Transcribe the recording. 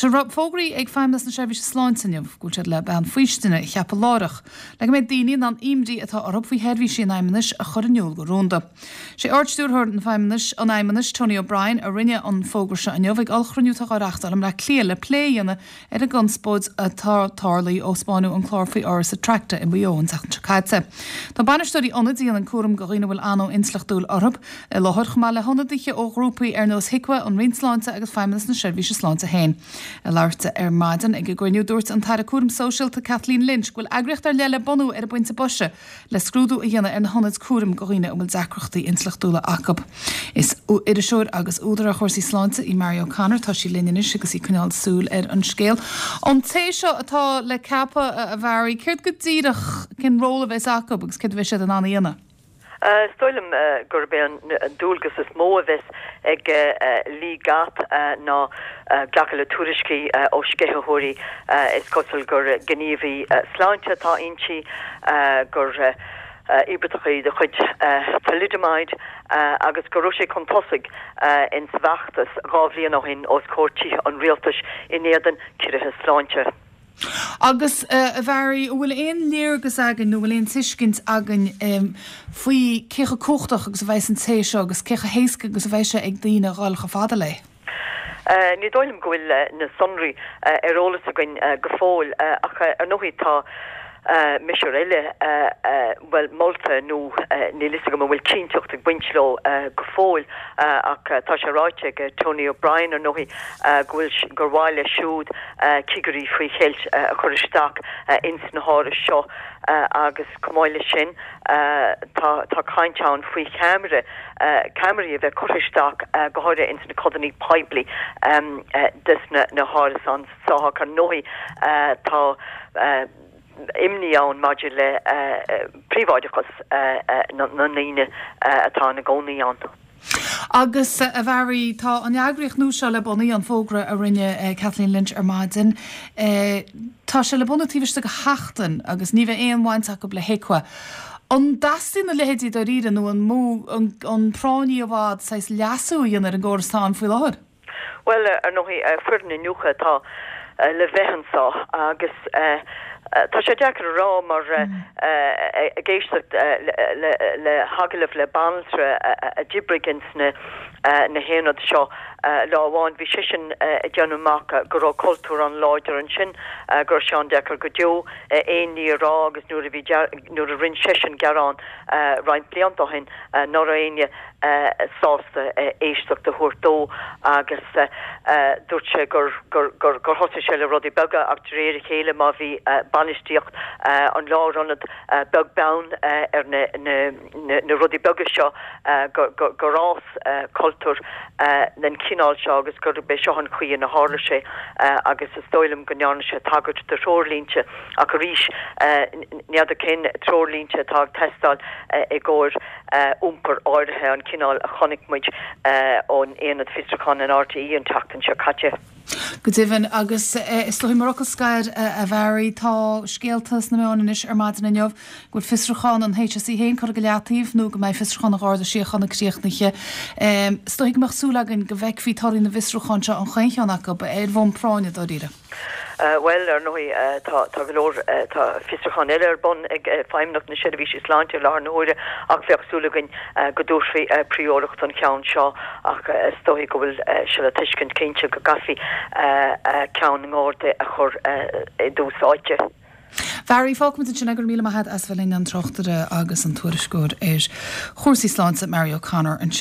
Tá sé fógraithe ag Feidhmeannas na Seirbhíse Sláinte inniu go bhfuil siad le bean faoistine a cheapadh láithreach le go mbeidh daoine in ann imní atá orthu faoi sheirbhísí an Fheidhmeannais a chur in iúl go rúnda. Sé Ard-Stiúrthóir an Feidhmeannais, an Fheidhmeannais, Tony O'Brien, a rinne an fógra seo inniu ag ollchruinniú atá á reáchtáil i mBleá Cliath le plé a dhéanamh ar an gconspóid atá tarlaithe ó spáineadh an clár faoi Áras Attracta i Maigh Eo an tseachtain seo caite. Tá bainisteoirí ionaid a dhéanann cúram do dhaoine a bhfuil anó intleachtúil orthu i láthair, chomh maith le hionadaithe ó ghrúpaí ar nós HIQA, an Roinn Sláinte agus Feidhmeannas na Seirbhíse Sláinte féin. Ag labhairt di ar maidin ag an gcruinniú, dúirt an tAire Cúraim Sóisialta Kathleen Lynch go bhfuil eagraíocht ar leith le bunú ar an bpointe boise le scrúdú a dhéanamh ar na hionaid cúraim do dhaoine a bhfuil deacrachtaí intleachtúla acu. Is iriseoir agus údar ar chúrsaí sláinte í Mary O'Connor. Tá sí linn anois agus í ag coinneáil súil ar an scéal. An té seo atá le ceapadh, a Mhary, céard go díreach, cén ról a bheas acu agus céard a bheidh siad in ann a dhéanamh? Is dóigh liom gurb é an dualgas is mó a bheas ag Lee Gatt ná glacadh le tuairiscí ó sceitheoirí. Is cosúil gur gníomhaí sláinte atá inti, gur íobartach í de chuid thalidomide agus go raibh sí chun tosaigh ins an bhfeachtas 2 bhliain ó shin os comhair tithe an rialtais in éadan ciorruithe sláinte. Agus, a Mhary, an bhfuil aon léargas againn nó an bhfuil aon tuiscint againn faoi cé chomh cumhachtach agus a bheas an té seo agus cé chomh héasca agus a bheidh sé ag daoine a dhul chomh fada léi? Ní dóigh liom go bhfuil na sonraí ar eolas againn go fóill ach ar ndóigh tá miosúr eile, bhuel, molta nó níl fhios agam an bhfuil cinnteacht ag baint leo go fóill ach tá sé ráite ag Tony O'Brien ar ndóigh go bhfuil, gur mhaith leis siúd cigirí faoi cheilt a chur isteach ins na hárais seo agus chomh maith leis sin tá tá caint ann faoi cheamara, ceamaraí a bheith curtha isteach go háirithe ins na codanna poiblí des na hárasáin seo ach ar ndóigh tá imní ann maidir le príobháideachas na ndaoine atá ina gcónaí ann. Agus, a Mhary, tá an eagraíocht nua seo le bunú, an fógra a rinne Kathleen Lynch ar maidin, tá sé le bunú taobh istigh de sheachtain agus ní bheidh aon bhaint acu le HIQA. An dteastaíonn a leithéidí dáiríre nó an mó an práinní i bhfad saghas leasú a dhéanamh ar an gcóras atá ann faoi láthair? Bhuel, ar ndóigh, foireann iniúchta atá le bheith anseo agus tá sé deacair a rá mar ag éisteacht le hagallamh le banaltra a d'oibrigh ins na haonaid seo lá amháin, bhí seisean ag déanamh amach go raibh cultúr an-láidir ansin, go raibh sé an-deacair go deo aon ní a rá agus nuair a bhí, nuair a rinne seisean gearán roinnt blianta ó shin ná raibh éinne sásta éisteacht a thabhairt dó agus dúirt sé gur gur gur thosaigh sé le rudaí beaga ach de réir a chéile má bhí bainistíocht an lárionaid beag beann ar na na rudaí beaga seo gur gur fhás cultúr den chineál seo agus gurb é seo an chaoi ina tharla sé agus is dóigh liom go ndearna sé tagairt do threoirlínte ach arís n'fheadar cén treoirlínte atá ag teastáil i gcomhair iompar áirithe, an cineál a chonaic muid ón Aonad Fiosrúcháin in RTÉ an tseachtain seo caite. Go deimhin, agus is dóigh mar fhocal scoir, a Mhary, tá scéalta sna meáin anois ar maidin inniu go bhfuil fiosrúchán an HSE féin curtha go leataobh nó go mbeidh fiosrúchán an Gharda Síochána críochnaithe. Is dóigh go mbeadh súil againn go bhfeicfí torthaí na bhfiosrúchán seo, an chaon cheann acu, ar bhonn práinne, dáiríre. Bhuel, ar ndóigh, tá, tá go leor, tá fiosrúchán eile ar bun ag Feidhmeannacht na Seirbhíse Sláinte i láthair na huaire ach bheadh súil againn go dtabharfaí prióireacht don cheann seo ach is dóigh go bhfuil sé le tuiscint cinnte go gcaithfí ceann na nGardaí a chur i dtús áite. Mhary, fágfaimid ansin é, go raibh míle maith agat as bheith linn, an tráchtaire agus an tuairisceoir ar chúrsaí sláinte, Mary O'Connor ansin.